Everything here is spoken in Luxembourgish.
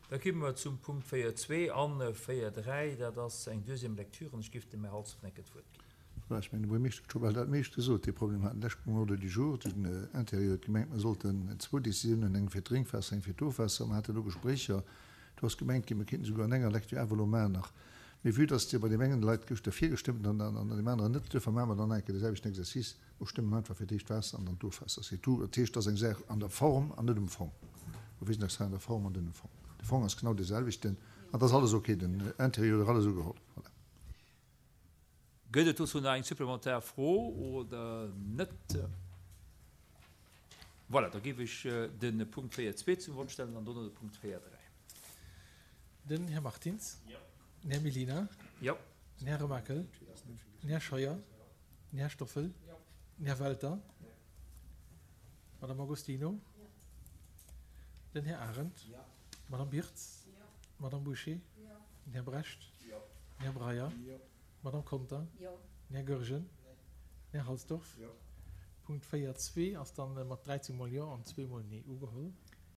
Da komme mer zum Punkt 4.2 an 4.3. Dat ass eng Deuxième lecture an ech géif dem Här Halsdorf enke d'Wuert ginn. Voilà, ech mengen, de Buergermeeschter huet scho bal dat meescht gesot. Dee Problem haten d'lescht um Ordre du jour. Den Interieur huet gemengt, mer sollten zwou Décisiounen, eng fir d'Drénkwaasser, eng fir d'Ofwaasser. Mer haten do Gespréicher. Do ass gemengt ginn, mer kéinten esouguer an enger Lecture awer elo maachen nach. Mee vue dass Dir bei deem engen Leit gëschter virgestëmmt an an deem aneren net, duerfir maache mer dann nach eng Kéier de selwechten Exercice. Mer stëmmen einfach fir d'éischt d'Waasser an dann d'Ofwaasser. C'est tout. Dat heescht, et ass eng Saach an der Form an net um Fong. Mer wisen eis hei an der Form an net um Fong. De Fong ass genau dee selwechten an et ass alles ok. Den Interieur huet och alles ugeholl. Voilà. Gëtt et dozou nach eng supplementar Fro oder net? Voilà, da géif ech de Punkt 4.2 zum Vott stellen an dono de Punkt 4.3. Den Här Martins. Den Här Mellina. Den Här Remakel. Den Här Scheuer. Den Här Stoffel. Den Här Welter. D'Madame Agostino. Den Här Arendt. D'Madame Birtz. D'Madame Bouché. Den Här Brecht. Den Här Breyer. D'Madame Conter. Den Här Goergen. Den Här Halsdorf. Punkt 4, 2 ass dann mat 13 mol Jo an zweemol Nee ugeholl.